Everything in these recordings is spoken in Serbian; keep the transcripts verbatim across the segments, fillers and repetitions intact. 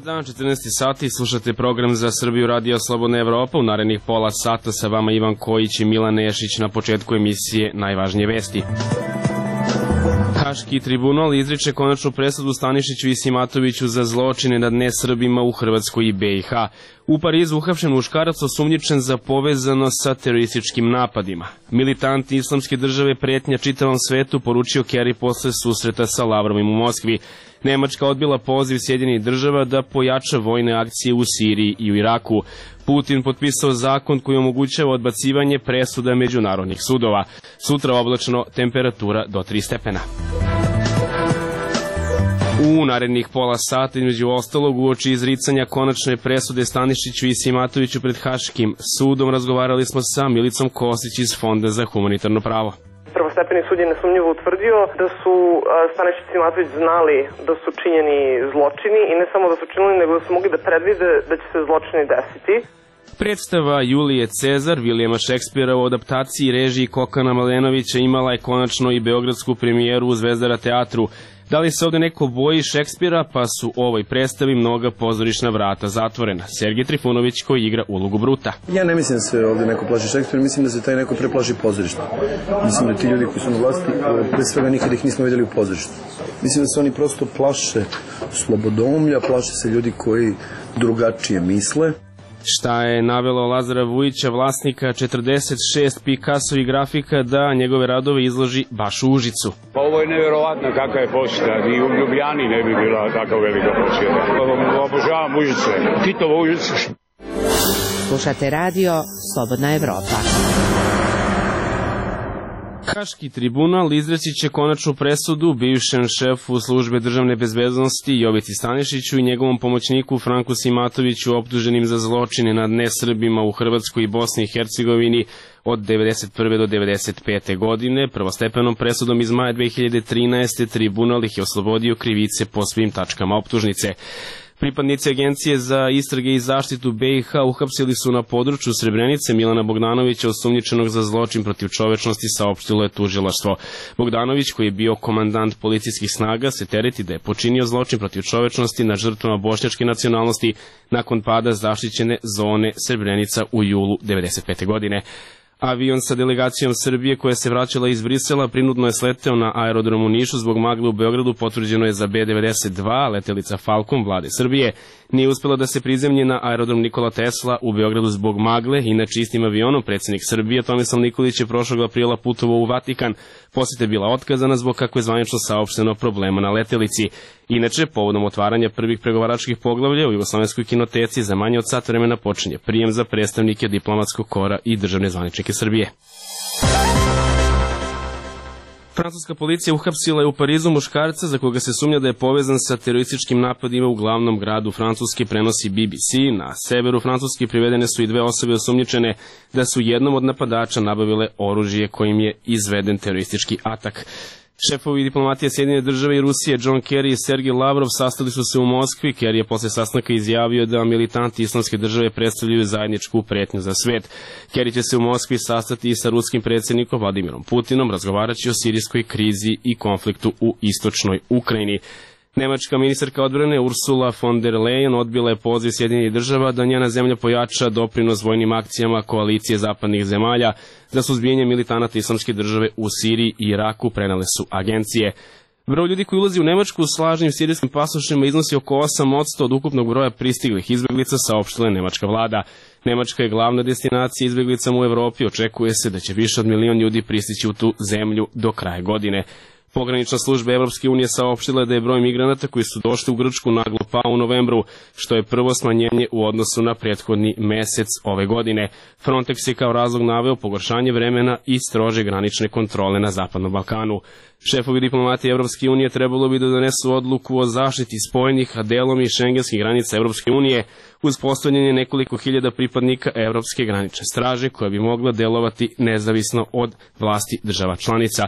Dobar dan, četrnaesti sati, slušate program za Srbiju Radio Slobodna Evropa. U narednih pola sata sa vama Ivan Kojić i Milan Nešić. Na početku emisije najvažnije vesti. Haški tribunal izriče konačnu presudu Stanišiću i Simatoviću za zločine nad nesrbima u Hrvatskoj i be i ha. U Parizu uhapšen muškarac osumnjičen za povezano sa terorističkim napadima. Militanti islamske države pretnja čitavom svetu, poručio Kerry posle susreta sa Lavrovim u Moskvi. Nemačka odbila poziv Sjedinjenih država da pojača vojne akcije u Siriji i u Iraku. Putin potpisao zakon koji omogućava odbacivanje presuda međunarodnih sudova. Sutra oblačno, temperatura do tri stepena. U narednih pola sata, između ostalog, uoči izricanja konačne presude Stanišiću i Simatoviću pred Haškim sudom, razgovarali smo sa Milicom Kostić iz Fonda za humanitarno pravo. Prvostepeni sud je nesumnjivo utvrdio da su Stanišić i Simatović znali da su činjeni zločini i ne samo da su činili, nego da su mogli da predvide da će se zločini desiti. Predstava Julije Cezar, Vilijama Šekspira u adaptaciji režiji Kokana Malenovića imala je konačno i beogradsku premijeru u Zvezdara teatru. Da li se ovde neko boji Šekspira, pa su u ovoj predstavi mnoga pozorišna vrata zatvorena. Sergej Trifunović koji igra ulogu Bruta. Ja ne mislim da se ovde neko plaši Šekspira, mislim da se taj neko preplaši pozorišta. Mislim da ti ljudi koji su na vlasti, pre svega nikada ih nismo videli u pozorištu. Mislim da se oni prosto plaše slobodomlja, plaše se ljudi koji drugačije misle. Šta je navelo Lazara Vujića, vlasnika četrdeset šest Picassovih grafika, da njegove radove izloži baš u Užicu? Pa ovo je nevjerovatno kakva je posjeta. I u Ljubljani ne bi bila tako velika posjeta. Obožavam Užice. Titovo Užice. Slušate radio Slobodna Evropa. Haški tribunal izreći će konačnu presudu bivšem šefu službe državne bezbednosti Jovici Stanišiću i njegovom pomoćniku Franku Simatoviću, optuženim za zločine nad nesrbima u Hrvatskoj i Bosni i Hercegovini od devedeset prve do devedeset pete godine. Prvostepenom presudom iz maja dve hiljade trinaeste. tribunal ih je oslobodio krivice po svim tačkama optužnice. Pripadnici Agencije za istrage i zaštitu be i ha uhapsili su na području Srebrenice Milana Bogdanovića, osumnjičenog za zločin protiv čovečnosti, saopštilo je tužilaštvo. Bogdanović, koji je bio komandant policijskih snaga, se tereti da je počinio zločin protiv čovečnosti nad žrtvama bošnjačke nacionalnosti nakon pada zaštićene zone Srebrenica u julu devedeset pete. godine. Avion sa delegacijom Srbije koja se vraćala iz Brisela prinudno je sleteo na aerodromu u Nišu zbog magle u Beogradu, potvrđeno je za be devedeset dva, letelica Falcon vlade Srbije nije uspela da se prizemlji na aerodrom Nikola Tesla u Beogradu zbog magle. Inače, istim avionom predsjednik Srbije Tomislav Nikolić je prošlog aprila putovao u Vatikan. Poseta je bila otkazana zbog, kako je zvanično saopšteno, problema na letelici. Inače, povodom otvaranja prvih pregovaračkih poglavlja u Jugoslovenskoj kinoteci za manje od sat vremena počinje prijem za predstavnike diplomatskog kora i državne zvaničnike Srbije. Francuska policija uhapsila je u Parizu muškarca za koga se sumnja da je povezan sa terorističkim napadima u glavnom gradu Francuske, prenosi be be ce. Na severu Francuske privedene su i dve osobe osumnjičene da su jednom od napadača nabavile oružje kojim je izveden teroristički atak. Šefovi diplomatije Sjedinjene države i Rusije John Kerry i Sergej Lavrov sastali su se u Moskvi. Kerry je posle sastanka izjavio da militanti islamske države predstavljaju zajedničku pretnju za svet. Kerry će se u Moskvi sastati i sa ruskim predsjednikom Vladimirom Putinom, razgovarajući o sirijskoj krizi i konfliktu u istočnoj Ukrajini. Nemačka ministarka odbrane Ursula von der Leyen odbila je poziv Sjedinjenih država da njena zemlja pojača doprinos vojnim akcijama koalicije zapadnih zemalja za suzbijanje militanata islamske države u Siriji i Iraku, prenale su agencije. Broj ljudi koji ulazi u Nemačku s lažnim sirijskim pasošima iznosi oko osam posto od ukupnog broja pristiglih izbeglica, saopštila je nemačka vlada. Nemačka je glavna destinacija izbeglicama u Evropi, očekuje se da će više od milion ljudi pristići u tu zemlju do kraja godine. Pogranična služba Evropske unije saopštila da je broj migranata koji su došli u Grčku naglo pao u novembru, što je prvo smanjenje u odnosu na prethodni mesec ove godine. Frontex je kao razlog naveo pogoršanje vremena i strože granične kontrole na Zapadnom Balkanu. Šefovi diplomatije Evropske unije trebalo bi da donesu odluku o zaštiti spojenih, a delom i šengenskih granica Evropske unije uz postavljanje nekoliko hiljada pripadnika Evropske granične straže koja bi mogla delovati nezavisno od vlasti država članica.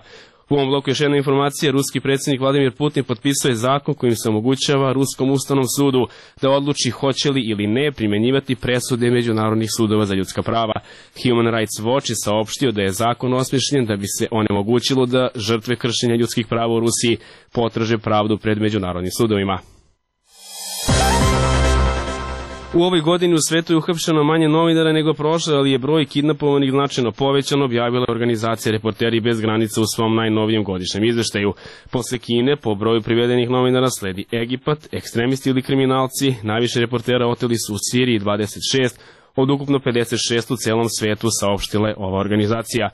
U ovom bloku još jedna informacija. Ruski predsjednik Vladimir Putin potpisao je zakon kojim se omogućava Ruskom ustavnom sudu da odluči hoće li ili ne primjenjivati presude međunarodnih sudova za ljudska prava. Human Rights Watch je saopštio da je zakon osmišljen da bi se onemogućilo da žrtve kršenja ljudskih prava u Rusiji potraže pravdu pred međunarodnim sudovima. U ovoj godini u svetu je uhapšeno manje novinara nego prošle, ali je broj kidnapovanih značajno povećan, objavila organizacija Reporteri bez granica u svom najnovijem godišnjem izveštaju. Posle Kine, po broju privedenih novinara sledi Egipat, ekstremisti ili kriminalci, najviše reportera oteli su u Siriji dvadeset šest, od ukupno pedeset šest u celom svetu, saopštila je ova organizacija.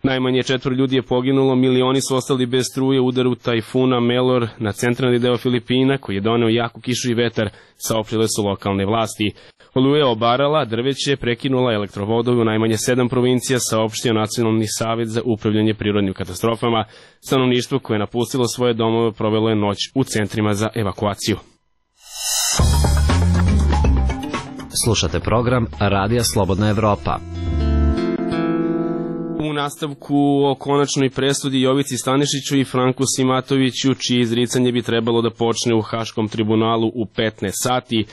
Najmanje četvr ljudi je poginulo, milioni su ostali bez struje u udaru tajfuna Melor na centralni deo Filipina, koji je doneo jaku kišu i vetar, saopštile su lokalne vlasti. Oluja obarala, drveće, prekinula elektrovodove u najmanje sedam provincija, saopštio Nacionalni savet za upravljanje prirodnim katastrofama. Stanovništvo koje je napustilo svoje domove provelo je noć u centrima za evakuaciju. Slušate program Radija Slobodna Evropa. U nastavku o konačnoj presudi Jovici Stanišiću i Franku Simatoviću, čije izricanje bi trebalo da počne u Haškom tribunalu u petnaest sati.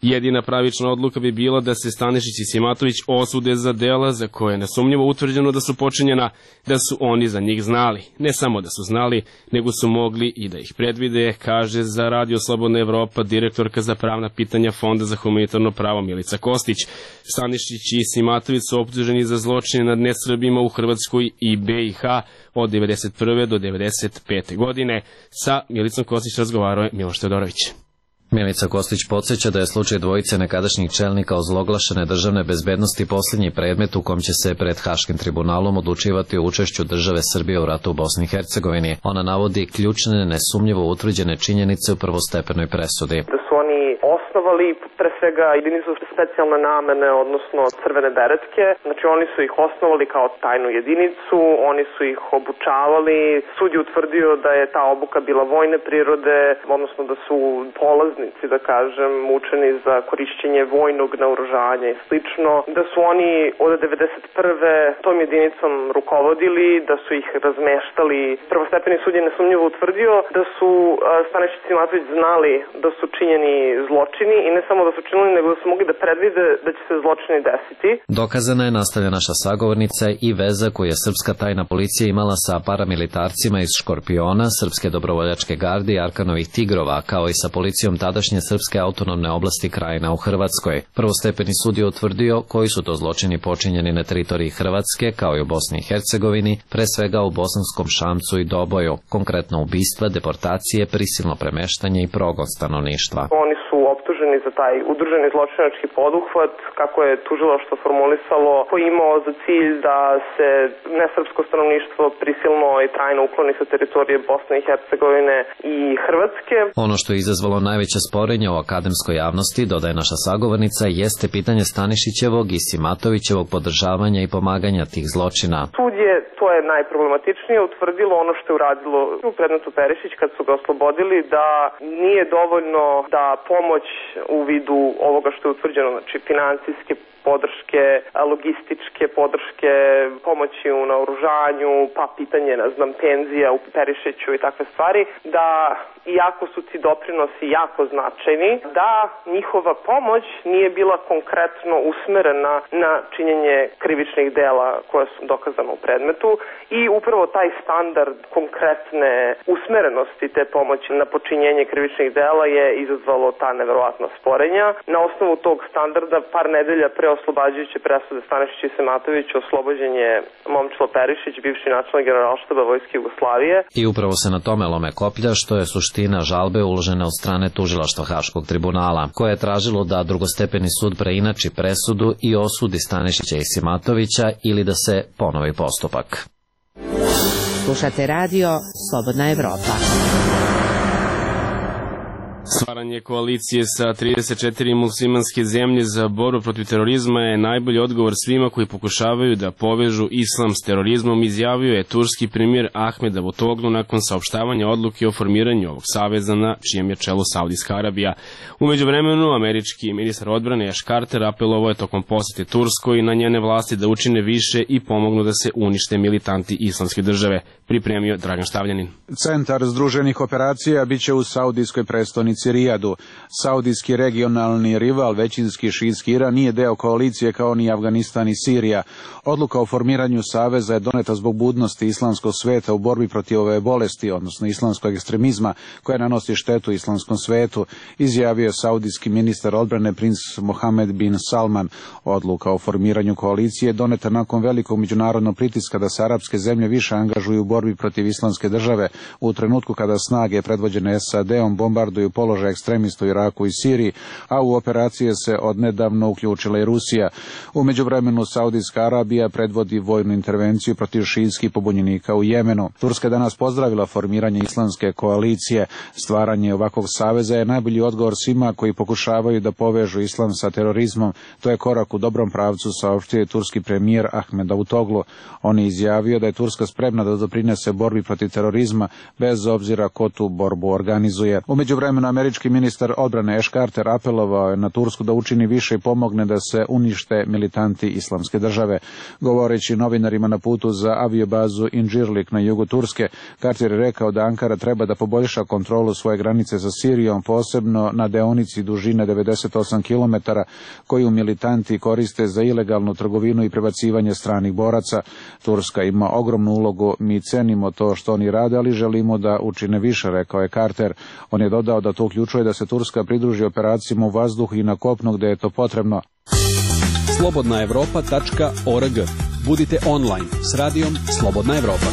Jedina pravična odluka bi bila da se Stanišić i Simatović osude za dela za koje je nesumnjivo utvrđeno da su počinjena, da su oni za njih znali. Ne samo da su znali, nego su mogli i da ih predvide, kaže za Radio Slobodna Evropa direktorka za pravna pitanja Fonda za humanitarno pravo Milica Kostić. Stanišić i Simatović su optuženi za zločine nad nesrbima u Hrvatskoj i B i H od devedeset prve do devedeset pete godine. Sa Milicom Kostić razgovarao je Miloš Teodorović. Milica Kostić podsjeća da je slučaj dvojice nekadašnjih čelnika ozloglašene državne bezbednosti posljednji predmet u kom će se pred Haškim tribunalom odlučivati o učešću države Srbije u ratu u Bosni i Hercegovini. Ona navodi ključne, nesumnjivo utvrđene činjenice u prvostepenoj presudi. Da su oni osnovali pre svega jedinicu specijalne namene, odnosno crvene beretke. Znači oni su ih osnovali kao tajnu jedinicu, oni su ih obučavali. Sud je utvrdio da je ta obuka bila vojne prirode, odnosno da su polaznici, da kažem, učeni za korišćenje vojnog naoružanja i slično. Da su oni od devedeset prve tom jedinicom rukovodili, da su ih razmeštali. Prvostepeni sud je nesumnjivo utvrdio da su Stanišić i Simatović znali da su činjeni zločini i ne samo da su činili, nego da su mogli da predvide da će se zločini desiti. Dokazana je, nastavlja naša sagovornica, i veza koju je srpska tajna policija imala sa paramilitarcima iz Škorpiona, Srpske dobrovoljačke garde i Arkanovih tigrova, kao i sa policijom tadašnje Srpske autonomne oblasti Krajina u Hrvatskoj. Prvostepeni sud je utvrdio koji su to zločini počinjeni na teritoriji Hrvatske, kao i u Bosni i Hercegovini, pre svega u Bosanskom Šamcu i Doboju, konkretno ubistva, deportacije, prisilno premeštanje i progon stanovništva. Oni su optuženi za taj udruženi zločinački poduhvat, kako je tužilaštvo formulisalo, koji je imao za cilj da se nesrpsko stanovništvo prisilno i trajno ukloni sa teritorije Bosne i Hercegovine i Hrvatske. Ono što je izazvalo najveće sporenje u akademskoj javnosti, dodaje naša sagovornica, jeste pitanje Stanišićevog i Simatovićevog podržavanja i pomaganja tih zločina. Sud je, to je najproblematičnije, utvrdilo ono što je uradilo u predmetu Perišić kad su ga oslobodili, da nije dovoljno da pomoć u vidu ovoga što je utvrđeno, znači financijske podrške, logističke podrške, pomoći u naoružanju, pa pitanje, ne znam, penzija u Perišiću i takve stvari, da iako su ti doprinosi jako značajni, da njihova pomoć nije bila konkretno usmerena na činjenje krivičnih dela koja su dokazana u predmetu i upravo taj standard konkretne usmerenosti te pomoći na počinjenje krivičnih dela je izazvalo ta neverovatna sporenja. Na osnovu tog standarda par nedelja pre oslobađajuće presude Stanišić i Simatović oslobođen je Momčilo Perišić, bivši načelnik Generalštaba Vojske Jugoslavije. I upravo se na tome lome koplja, što je suština žalbe uložene od strane tužilaštva Haškog tribunala, koje je tražilo da drugostepeni sud preinači presudu i osudi Stanišića i Simatovića ili da se ponovi postupak. Slušate radio Slobodna Evropa. Stvaranje koalicije sa trideset četiri muslimanske zemlje za borbu protiv terorizma je najbolji odgovor svima koji pokušavaju da povežu islam s terorizmom, izjavio je turski premijer Ahmed Davutoglu nakon saopštavanja odluke o formiranju ovog saveza na čijem je čelu Saudijska Arabija. U međuvremenu, američki ministar odbrane Ash Carter apelovao je tokom posete Turskoj na njene vlasti da učine više i pomognu da se unište militanti islamske države, pripremio Dragan Štavljanin. Centar združenih operacija biće u saudijskoj prestonici stolici Rijadu. Saudijski regionalni rival, većinski šiitski Iran, nije deo koalicije kao ni Afganistan i Sirija. Odluka o formiranju saveza je doneta zbog budnosti islamskog sveta u borbi protiv ove bolesti, odnosno islamskog ekstremizma, koja nanosi štetu islamskom svetu, izjavio saudijski ministar odbrane princ Mohammed bin Salman. Odluka o formiranju koalicije je doneta nakon velikog međunarodnog pritiska da se arapske zemlje više angažuju u borbi protiv islamske države u trenutku kada snage predvođene S A D-om bombarduju položaj ekstremista u Iraku i Siriji, a u operacije se odnedavno uključila i Rusija. U međuvremenu Saudijska Arabija predvodi vojnu intervenciju protiv šiitskih pobunjenika u Jemenu. Turska je danas pozdravila formiranje islamske koalicije. Stvaranje ovakvog saveza je najbolji odgovor svima koji pokušavaju da povežu islam sa terorizmom. To je korak u dobrom pravcu, saopštio je turski premijer Ahmed Davutoglu. On je izjavio da je Turska spremna da doprinese borbi protiv terorizma bez obzira ko tu borbu organizuje. U međuvremenu američki ministar odbrane Ash Carter apelovao je na Tursku da učini više i pomogne da se unište militanti islamske države. Govoreći novinarima na putu za aviobazu Incirlik na jugu Turske, Carter je rekao da Ankara treba da poboljša kontrolu svoje granice sa Sirijom, posebno na deonici dužine devedeset osam kilometara koju militanti koriste za ilegalnu trgovinu i prebacivanje stranih boraca. Turska ima ogromnu ulogu, mi cenimo to što oni rade, ali želimo da učine više, rekao je Carter. On je dodao da to uključuje da se Turska pridruži operacijama u vazduhu i na kopnu gde je to potrebno. slobodna evropa tačka org. Budite online s radijom Slobodna Evropa.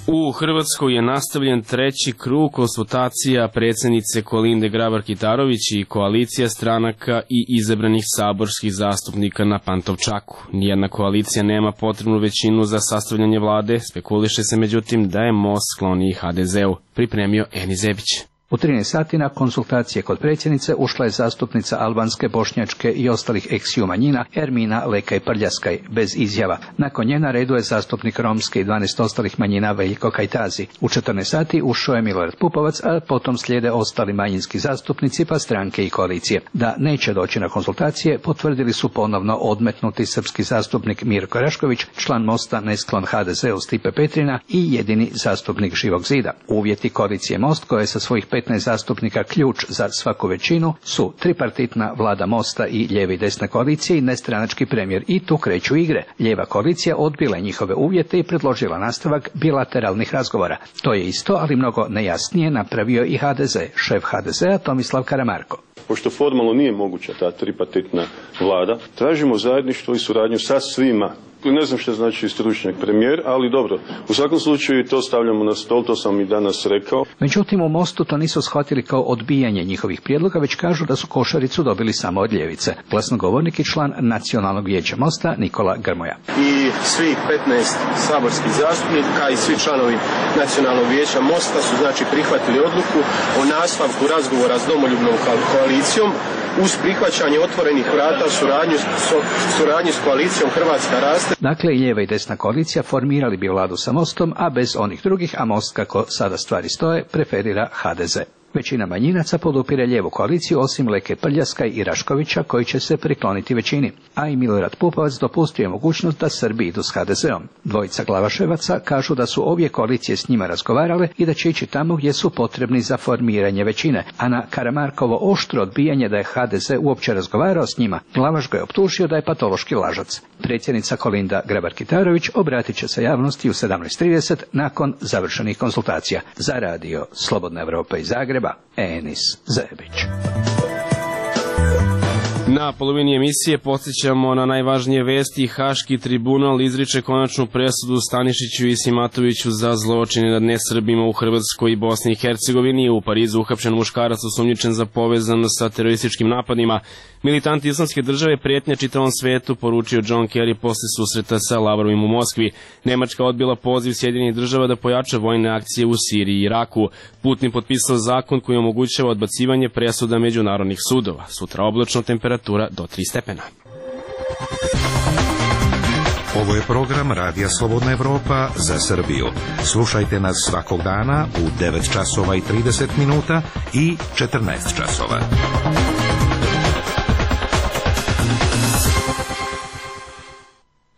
U Hrvatskoj je nastavljen treći krug konsultacija predsjednice Kolinde Grabar-Kitarović i koalicija stranaka i izabranih saborskih zastupnika na Pantovčaku. Nijedna koalicija nema potrebnu većinu za sastavljanje vlade, spekuliše se međutim da je most skloniji H D Z-u, pripremio Eni Zebić. U trinaest sati na konsultacije kod predsjednice ušla je zastupnica albanske, bošnjačke i ostalih eksiju manjina Ermina Lekaj Prljaskaj, bez izjava. Nakon nje na redu je zastupnik romske i dvanaest ostalih manjina Veljko Kajtazi. U četrnaest sati ušao je Milorad Pupovac, a potom slijede ostali manjinski zastupnici pa stranke i koalicije. Da neće doći na konsultacije potvrdili su ponovno odmetnuti srpski zastupnik Mirko Rašković, član Mosta nesklon H D Z-u Stipe Petrina i jedini zastupnik Živog zida. Uvjeti koalicije Most, koje je sa svojih petnaest zastupnika ključ za svaku većinu, su tripartitna vlada Mosta i lijeve i desne koalicije i nestranački premijer. I tu kreću igre. Lijeva koalicija odbila njihove uvjete i predložila nastavak bilateralnih razgovora. To je isto, ali mnogo nejasnije napravio i H D Z, šef H D Z-a Tomislav Karamarko. Pošto formalno nije moguća ta tripartitna vlada, tražimo zajedništvo i suradnju sa svima. Ne znam što znači stručnjak premijer, ali dobro. U svakom slučaju to stavljamo na stol, to sam i danas rekao. Međutim, u Mostu to nisu shvatili kao odbijanje njihovih prijedloga, već kažu da su košaricu dobili samo od ljevice. Glasnogovornik i član Nacionalnog vijeća Mosta Nikola Grmoja. I svi petnaest saborskih zastupnika i svi članovi Nacionalnog vijeća Mosta su znači prihvatili odluku o nastavku razgovora s domoljubnom koalicijom uz prihvaćanje otvorenih vrata suradnju, suradnju s koalicijom Hrvatska raste. Dakle, i lijeva i desna koalicija formirali bi vladu sa Mostom, a bez onih drugih, a Most, kako sada stvari stoje, preferira H D Z. Većina manjinaca podupire lijevu koaliciju, osim Leke Prljaskaj i Raškovića, koji će se prikloniti većini. A i Milorad Pupovac dopustio je mogućnost da Srbi idu s H D Z-om. Dvojica glavaševaca kažu da su obje koalicije s njima razgovarale i da će ići tamo gdje su potrebni za formiranje većine. A na Karamarkovo oštro odbijanje da je H D Z uopće razgovarao s njima, Glavaš ga je optužio da je patološki lažac. Predsjednica Kolinda Grabar-Kitarović obratit će se javnosti u sedamnaest trideset nakon završenih konsultacija. Za radio Slobodna Evropa iz Zagreba, Enis Zebić. Na polovini emisije podsjećamo na najvažnije vesti. Haški tribunal izriče konačnu presudu Stanišiću i Simatoviću za zločine nad nesrbima u Hrvatskoj i Bosni i Hercegovini. U Parizu uhapšen muškarac osumnjičen za povezanost sa terorističkim napadima. Militanti islamske države prijetnja čitavom svetu, poručio John Kerry posle susreta sa Lavrovim u Moskvi. Nemačka odbila poziv Sjedinjenih država da pojača vojne akcije u Siriji i Iraku. Putin potpisao zakon koji omogućava odbacivanje presuda međunarodnih sudova. Sutra oblačno, temperatura do tri stepena. Ovo je program Radija Slobodna Evropa za Srbiju. Slušajte nas svakog dana u devet časova i trideset minuta i četrnaest časova.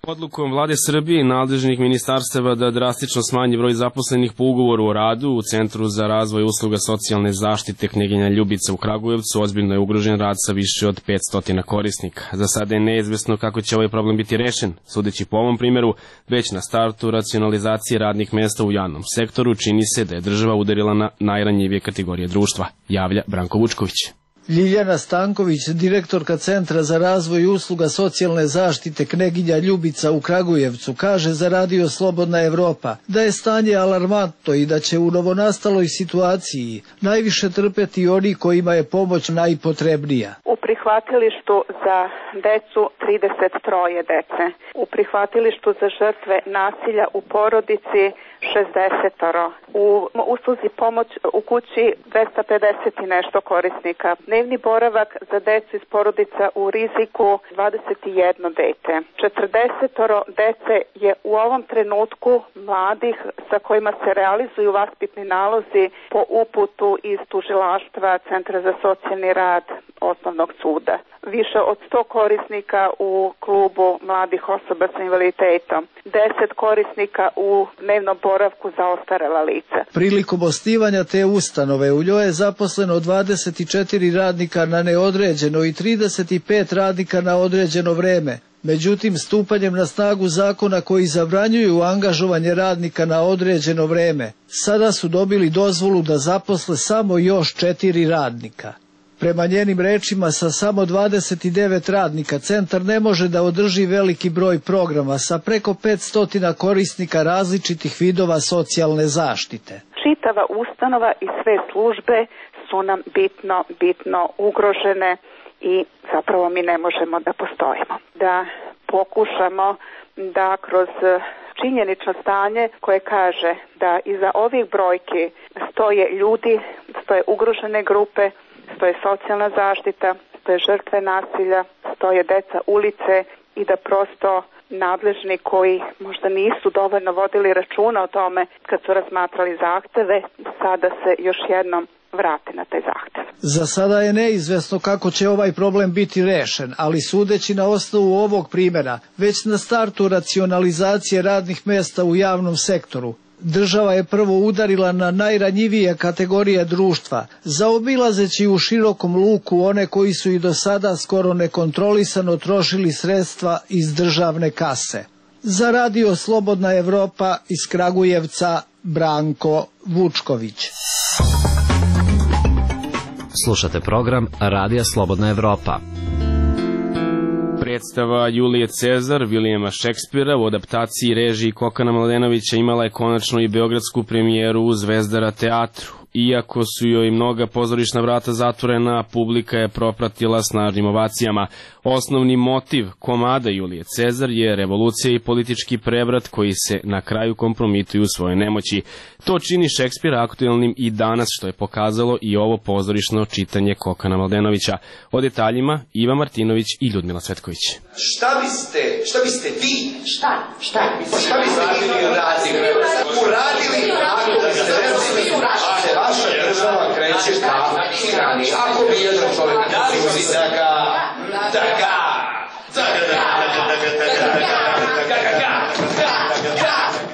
Odlukom vlade Srbije i nadležnih ministarstava da drastično smanji broj zaposlenih po ugovoru o radu u Centru za razvoj usluga socijalne zaštite Kneginja Ljubica u Kragujevcu ozbiljno je ugrožen rad sa više od petsto korisnika. Za sada je neizvesno kako će ovaj problem biti rešen. Sudeći po ovom primjeru, već na startu racionalizacije radnih mesta u javnom sektoru čini se da je država udarila na najranjivije kategorije društva, javlja Branko Vučković. Ljiljana Stanković, direktorka Centra za razvoj usluga socijalne zaštite Kneginja Ljubica u Kragujevcu, kaže za Radio Slobodna Evropa da je stanje alarmantno i da će u novonastaloj situaciji najviše trpeti oni kojima je pomoć najpotrebnija. U prihvatilištu za decu trideset tri dece, u prihvatilištu za žrtve nasilja u porodici šezdeset, u usluzi pomoć u kući dvesta pedeset i nešto korisnika, dnevni boravak za decu iz porodica u riziku dvadeset jedno dete. četrdeset dece je u ovom trenutku mladih sa kojima se realizuju vaspitni nalozi po uputu iz tužilaštva Centra za socijalni rad Osnovnog suda. Više od sto korisnika u klubu mladih osoba sa invaliditetom, deset korisnika u dnevnom boravku za ostarela lica. Prilikom osnivanja te ustanove u njoj je zaposleno dvadeset četiri radnika na neodređeno i trideset pet radnika na određeno vreme. Međutim, stupanjem na snagu zakona koji zabranjuju angažovanje radnika na određeno vreme, sada su dobili dozvolu da zaposle samo još četiri radnika. Prema njenim rečima, sa samo dvadeset devet radnika centar ne može da održi veliki broj programa sa preko petsto korisnika različitih vidova socijalne zaštite. Čitava ustanova i sve službe su nam bitno, bitno ugrožene i zapravo mi ne možemo da postojimo. Da pokušamo da kroz činjenično stanje koje kaže da iza ovih brojki stoje ljudi, stoje ugrožene grupe, stoje socijalna zaštita, stoje žrtve nasilja, stoje deca ulice i da prosto nadležni koji možda nisu dovoljno vodili računa o tome kad su razmatrali zahteve, sada se još jednom vrate na taj zahtev. Za sada je neizvesno kako će ovaj problem biti rešen, ali sudeći na osnovu ovog primjera, već na startu racionalizacije radnih mesta u javnom sektoru, država je prvo udarila na najranjivije kategorije društva, zaobilazeći u širokom luku one koji su i do sada skoro nekontrolisano trošili sredstva iz državne kase. Za Radio Slobodna Evropa iz Kragujevca, Branko Vučković. Slušate program Radija Slobodna Evropa. Predstava Julije Cezar Vilijema Šekspira u adaptaciji režiji Kokana Mladenovića imala je konačno i beogradsku premijeru u Zvezdara teatru. Iako su joj mnoga pozorišna vrata zatvorena, publika je propratila snažnim ovacijama. Osnovni motiv komada Julije Cezar je revolucija i politički prevrat koji se na kraju kompromituju u svojoj nemoći. To čini Šekspira aktuelnim i danas, što je pokazalo i ovo pozorišno čitanje Kokana Mladenovića. O detaljima Iva Martinović i Ljudmila Cvetković. Šta biste, šta biste vi? Šta? Šta? Pa šta biste vi uradili? Uradili ako biste recimo vaša država kreće ka tirani. Ako bi jedan čovjek uzi da ga, da ga, da ga, da ga,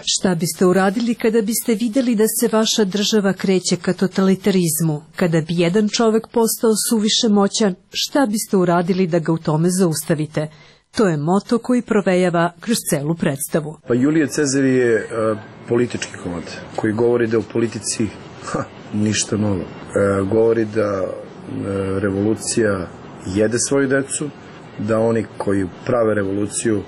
Šta biste uradili kada biste vidjeli da se vaša država kreće ka totalitarizmu? Kada bi jedan čovjek postao suviše moćan, šta biste uradili da ga u tome zaustavite? To je moto koji provejava kroz celu predstavu. Pa Julije Cezar je uh, politički komad koji govori da u politici ha, ništa novo. E, govori da e, revolucija jede svoju decu, da oni koji prave revoluciju e,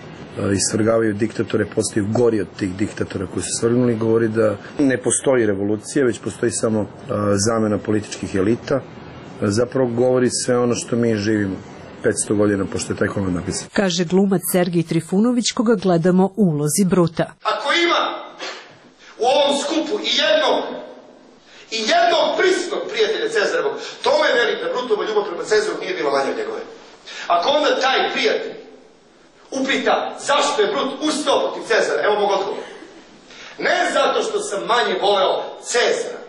isvrgavaju diktatore, postaju gori od tih diktatora koji su svrgnuli. Govori da ne postoji revolucija, već postoji samo e, zamena političkih elita. E, zapravo govori sve ono što mi živimo petsto godina pošto je taj komad napisan. Kaže glumac Sergij Trifunović koga gledamo u ulozi Bruta. Ako ima u ovom skupu i jednog i jednog prisnog prijatelja Cezarovog, tome velim da Brutova ljubav prema Cezaru nije bila manja od njegove. Ako onda taj prijatelj upita zašto je Brut ustao protiv Cezara, evo mog odgovora. Ne zato što sam manje voleo Cezara,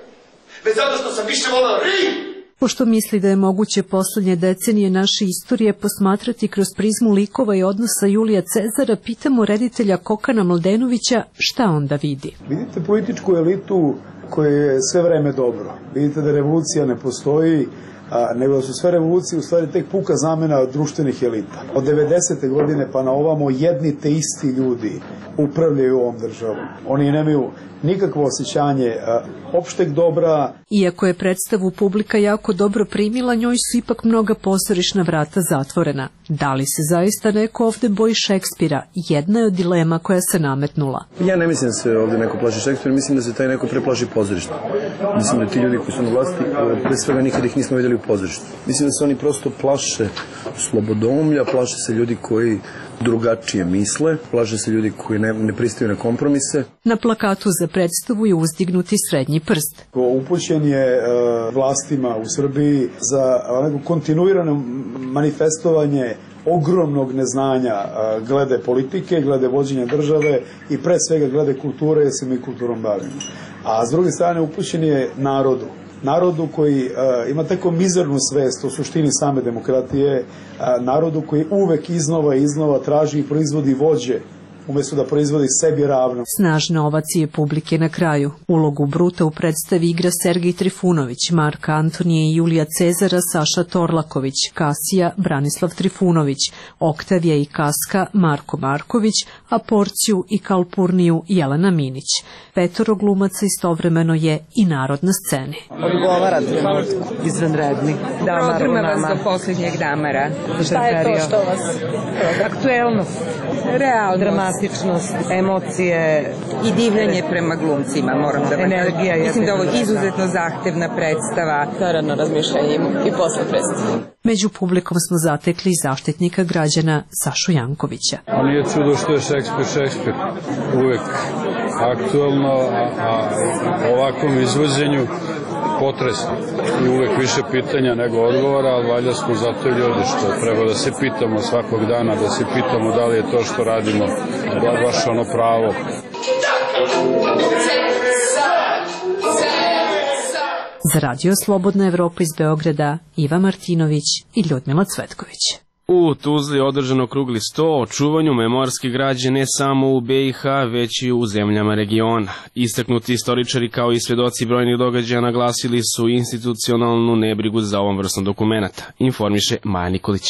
već zato što sam više voleo Rim. Pošto misli da je moguće poslednje decenije naše istorije posmatrati kroz prizmu likova i odnosa Julija Cezara, pitamo reditelja Kokana Mladenovića šta onda vidi. Vidite političku elitu koja je sve vreme dobro. Vidite da revolucija ne postoji, a, nego da su sve revolucije u stvari tek puka zamena društvenih elita. Od devedesete godine pa na ovamo jedni te isti ljudi upravljaju ovom državom. Oni nemaju nikakvo osjećanje a, opšteg dobra. Iako je predstavu publika jako dobro primila, njoj su ipak mnoga pozorišna vrata zatvorena. Da li se zaista neko ovde boji Šekspira? Jedna je od dilema koja se nametnula. Ja ne mislim da se ovde neko plaši Šekspira, mislim da se taj neko preplaši pozorišta. Mislim da ti ljudi koji su na vlasti, pre svega nikad ih nismo vidjeli u pozorištu. Mislim da se oni prosto plaše slobodomlja, plaše se ljudi koji drugačije misle, plaše se ljudi koji ne, ne pristaju na kompromise. Na plakatu za predstavu je uzdignuti srednji prst. Upućen je e, vlastima u Srbiji za neko kontinuirano manifestovanje ogromnog neznanja e, glede politike, glede vođenja države i pre svega glede kulture, jer se mi kulturom bavimo. A s druge strane upućen je narodu. Narodu koji uh, ima tako mizernu svest o suštini same demokratije, uh, narodu koji uvek iznova i iznova traži i proizvodi vođe umjesto da proizvodi sebi ravno. Snažna ovacije publike na kraju. Ulogu Bruta u predstavi igra Sergej Trifunović, Marka Antonije i Julija Cezara Saša Torlaković, Kasija Branislav Trifunović, Oktavija i Kaska Marko Marković, a Porciju i Kalpurniju Jelena Minić. Petoro glumaca istovremeno je i narod na sceni. Odgovara trenutku, izvanredni. Protrima vas do posljednjeg damara. Šta je to što vas? Aktuelnost, realnost, dramatičnost, emocije i divljenje prema glumcima, moram da vam energija. Mislim da ovo je izuzetno zahtevna predstava. Naravno razmišljajimo i posle predstave. Među publikom smo zatekli zaštitnika građana Sašu Jankovića. A nije čudo što je Šekspir Šekspir. Uvek aktuelno, a, a ovakvom izvođenju potresno. I uvek više pitanja nego odgovora, ali valjda smo zato ljudi što treba da se pitamo svakog dana, da se pitamo da li je to što radimo baš ono pravo. Za Radio Slobodna Evropa iz Beograda, Iva Martinović i Ljudmila Cvetković. U Tuzli održano krugli sto o čuvanju memorske građe ne samo u be i ha, već i u zemljama regiona. Istaknuti istoričari kao i svedoci brojnih događaja naglasili su institucionalnu nebrigu za ovom vrstom dokumenata, informiše Maja Nikolić.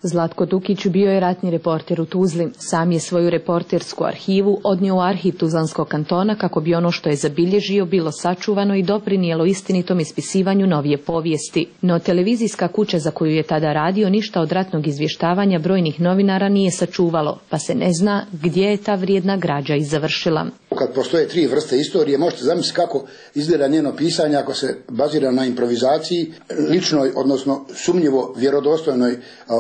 Zlatko Dukić bio je ratni reporter u Tuzli. Sam je svoju reportersku arhivu odnio u arhiv Tuzlanskog kantona kako bi ono što je zabilježio bilo sačuvano i doprinijelo istinitom ispisivanju novije povijesti. No televizijska kuća za koju je tada radio ništa od ratnog izvještavanja brojnih novinara nije sačuvalo, pa se ne zna gdje je ta vrijedna građa i završila. Kad postoje tri vrste istorije, možete zamisliti kako izgleda njeno pisanje ako se bazira na improvizaciji, ličnoj, odnosno sumnjivo vjerodostojnoj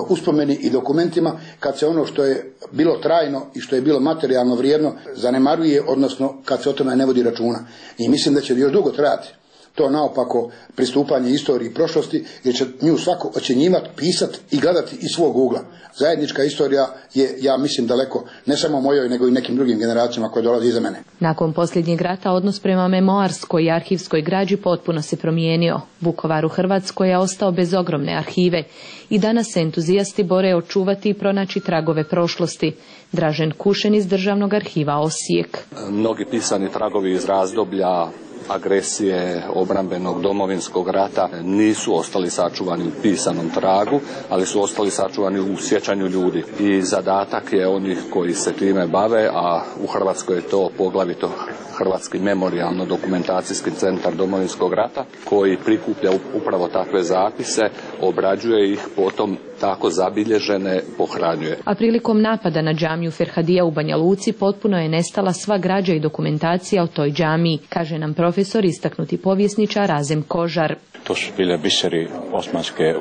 uspomeni i dokumentima, kad se ono što je bilo trajno i što je bilo materijalno vrijedno zanemaruje, odnosno kad se o tome ne vodi računa. I mislim da će još dugo trajati to naopako pristupanje istoriji i prošlosti, jer će nju svako ocjenjivati, pisati i gledati iz svog ugla. Zajednička istorija je, ja mislim, daleko, ne samo mojoj, nego i nekim drugim generacijama koje dolaze iza mene. Nakon posljednjeg rata odnos prema memoarskoj i arhivskoj građi potpuno se promijenio. Vukovar u Hrvatskoj je ostao bez ogromne arhive i danas se entuzijasti bore očuvati i pronaći tragove prošlosti. Dražen Kušen iz Državnog arhiva Osijek. Mnogi pisani tragovi iz razdoblja agresije, obrambenog, domovinskog rata nisu ostali sačuvani u pisanom tragu, ali su ostali sačuvani u sjećanju ljudi. I zadatak je onih koji se time bave, a u Hrvatskoj je to poglavito Hrvatski memorijalno-dokumentacijski centar domovinskog rata, koji prikuplja upravo takve zapise, obrađuje ih, potom tako zabilježene pohranjuje. A prilikom napada na džamiju Ferhadija u Banja Luci potpuno je nestala sva građa i dokumentacija o toj džamiji, kaže nam profesor istaknuti povjesničar Razem Kožar. To su bile biseri osmanske e,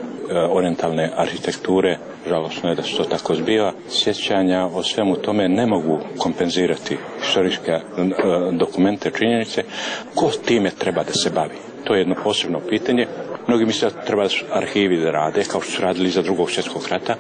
orijentalne arhitekture, žalosno je da se to tako zbiva. Sjećanja o svemu tome ne mogu kompenzirati historijske e, dokumente, činjenice. Ko time treba da se bavi? To je jedno posebno pitanje Mnogi misle da treba arhivi da rade, kao što su radili za drugog svjetskog rata.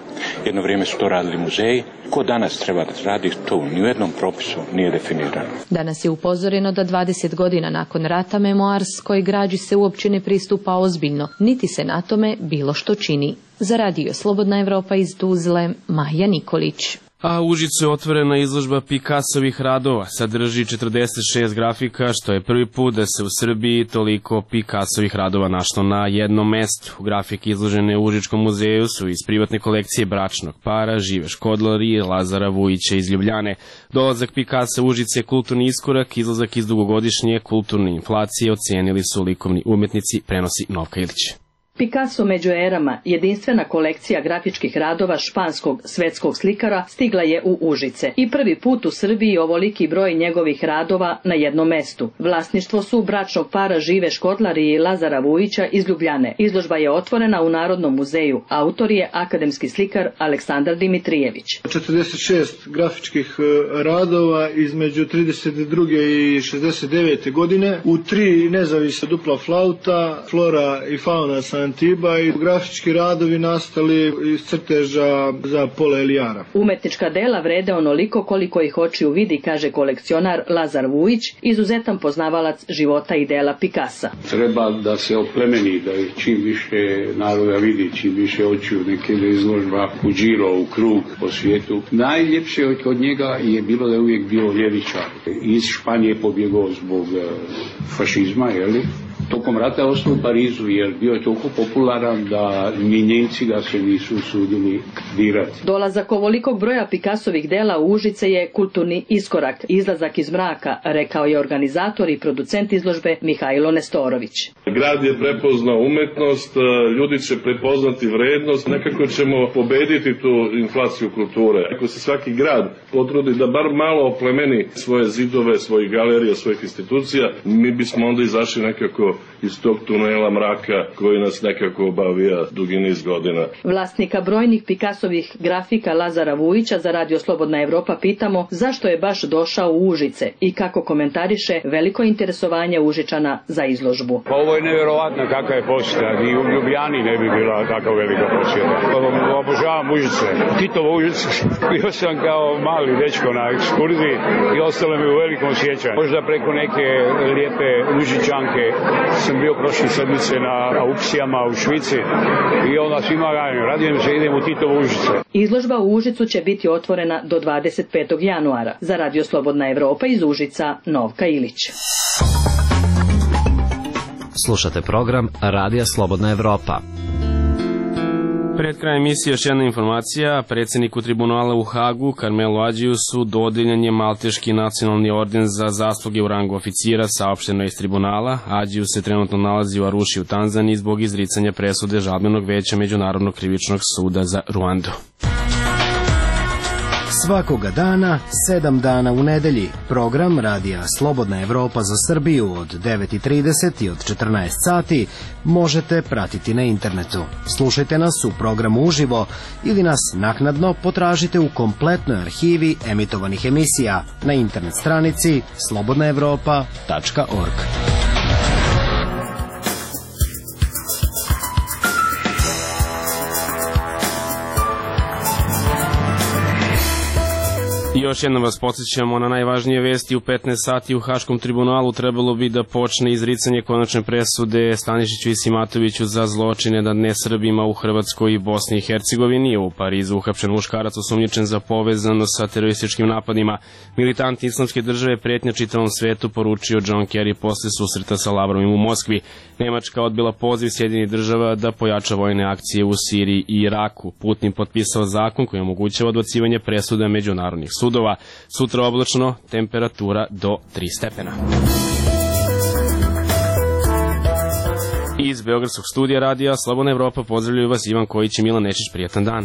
Jedno vrijeme su to radili muzeji. Ko danas treba da radi, to ni u jednom propisu nije definirano. Danas je upozoreno da dvadeset godina nakon rata memoarskoj građi se uopće ne pristupa ozbiljno, niti se na tome bilo što čini. Za radio Slobodna Evropa iz Tuzle, Maja Nikolić. A u Užicu je otvorena izložba Picassovih radova. Sadrži četrdeset šest grafika, što je prvi put da se u Srbiji toliko Picassovih radova našlo na jednom mestu. Grafike izložene u Užičkom muzeju su iz privatne kolekcije bračnog para Žive Škodlar i Lazara Vujića iz Ljubljane. Dolazak Picassa u Užice je kulturni iskorak, izlazak iz dugogodišnje kulturne inflacije, ocenili su likovni umetnici, prenosi Novka Ilić. Picasso među erama, jedinstvena kolekcija grafičkih radova španskog svetskog slikara, stigla je u Užice. I prvi put u Srbiji ovoliki broj njegovih radova na jednom mestu. Vlasništvo su bračnog para Žive Škodlar i Lazara Vujića iz Ljubljane. Izložba je otvorena u Narodnom muzeju. Autor je akademski slikar Aleksandar Dimitrijević. četrdeset šest grafičkih radova između trideset druge i šezdeset devete godine u tri nezavisna dupla flauta, flora i fauna sa Antiba i grafički radovi nastali iz crteža za Pola Elijara. Umetnička dela vrede onoliko koliko ih očiju vidi, kaže kolekcionar Lazar Vujić, izuzetan poznavalac života i dela Picassa. Treba da se oplemeni, da ih čim više naroda vidi, čim više očiju, neke izložba u džiro, u krug po svijetu. Najljepše od njega je bilo da je uvijek bio ljevičar. Iz Španije pobjegao zbog fašizma, jeli? Tokom rata ostao u Parizu jer bio je toliko popularan da ni Njemci ga se nisu usudili dirati. Dolazak ovolikog broja Picassovih dela u Užice je kulturni iskorak, izlazak iz mraka, rekao je organizator i producent izložbe Mihajlo Nestorović. Grad je prepoznao umetnost, ljudi će prepoznati vrednost, nekako ćemo pobediti tu inflaciju kulture. Ako se svaki grad potrudi da bar malo oplemeni svoje zidove, svojih galerija, svojih institucija, mi bismo onda izašli nekako iz tog tunela mraka koji nas nekako obavija dugi niz godina. Vlasnika brojnih Picassovih grafika Lazara Vujića za radio Slobodna Evropa pitamo zašto je baš došao u Užice i kako komentariše veliko interesovanje Užičana za izložbu. Pa ovo je nevjerovatno kakva je posjeta, ni u Ljubljani ne bi bila tako velika posjeta. Obožavam Užice, Titovo Užice. Bio sam kao mali dečko na ekskurziji i ostalo mi u velikom sjećanju. Možda preko neke lijepe Užičanke sam bio prošle sedmice na aukcijama u Švici i onda svima radim, radim se, idem u Titovo Užice. Izložba u Užicu će biti otvorena do dvadeset petog januara. Za radio Slobodna Evropa iz Užica, Novka Ilić. Slušate program Radija Slobodna Evropa. Pred krajem emisije još jedna informacija. Predsjedniku tribunala u Hagu, Karmelu Adžiju, su dodeljen je Malteški nacionalni orden za zasluge u rangu oficira, saopšteno iz tribunala. Adžiju se trenutno nalazi u Aruši u Tanzaniji zbog izricanja presude žalbenog veća Međunarodnog krivičnog suda za Ruandu. Svakoga dana, sedam dana u nedelji, program Radija Slobodna Evropa za Srbiju od devet i trideset i od četrnaest sati možete pratiti na internetu. Slušajte nas u programu uživo ili nas naknadno potražite u kompletnoj arhivi emitovanih emisija na internet stranici slobodna evropa tačka org. Još jednom vas podsjećamo na najvažnije vesti. U petnaest sati u Haškom tribunalu trebalo bi da počne izricanje konačne presude Stanišiću i Simatoviću za zločine nad nesrbima u Hrvatskoj i Bosni i Hercegovini. U Parizu uhapšen muškarac osumnjičen za povezano sa terorističkim napadima. Militanti Islamske države pretnja čitavom svetu, poručio John Kerry posle susreta sa Lavrovim u Moskvi. Nemačka odbila poziv Sjedinjenih država da pojača vojne akcije u Siriji i Iraku. Putin potpisao zakon koji omogućava odbacivanje presuda međunarodnih sudova. Sutra oblačno, temperatura do tri stepena. Iz Beogradskog studija radija Slobodna Evropa pozdravljaju vas Ivan Kojić i Milan Nečić. Prijatan dan.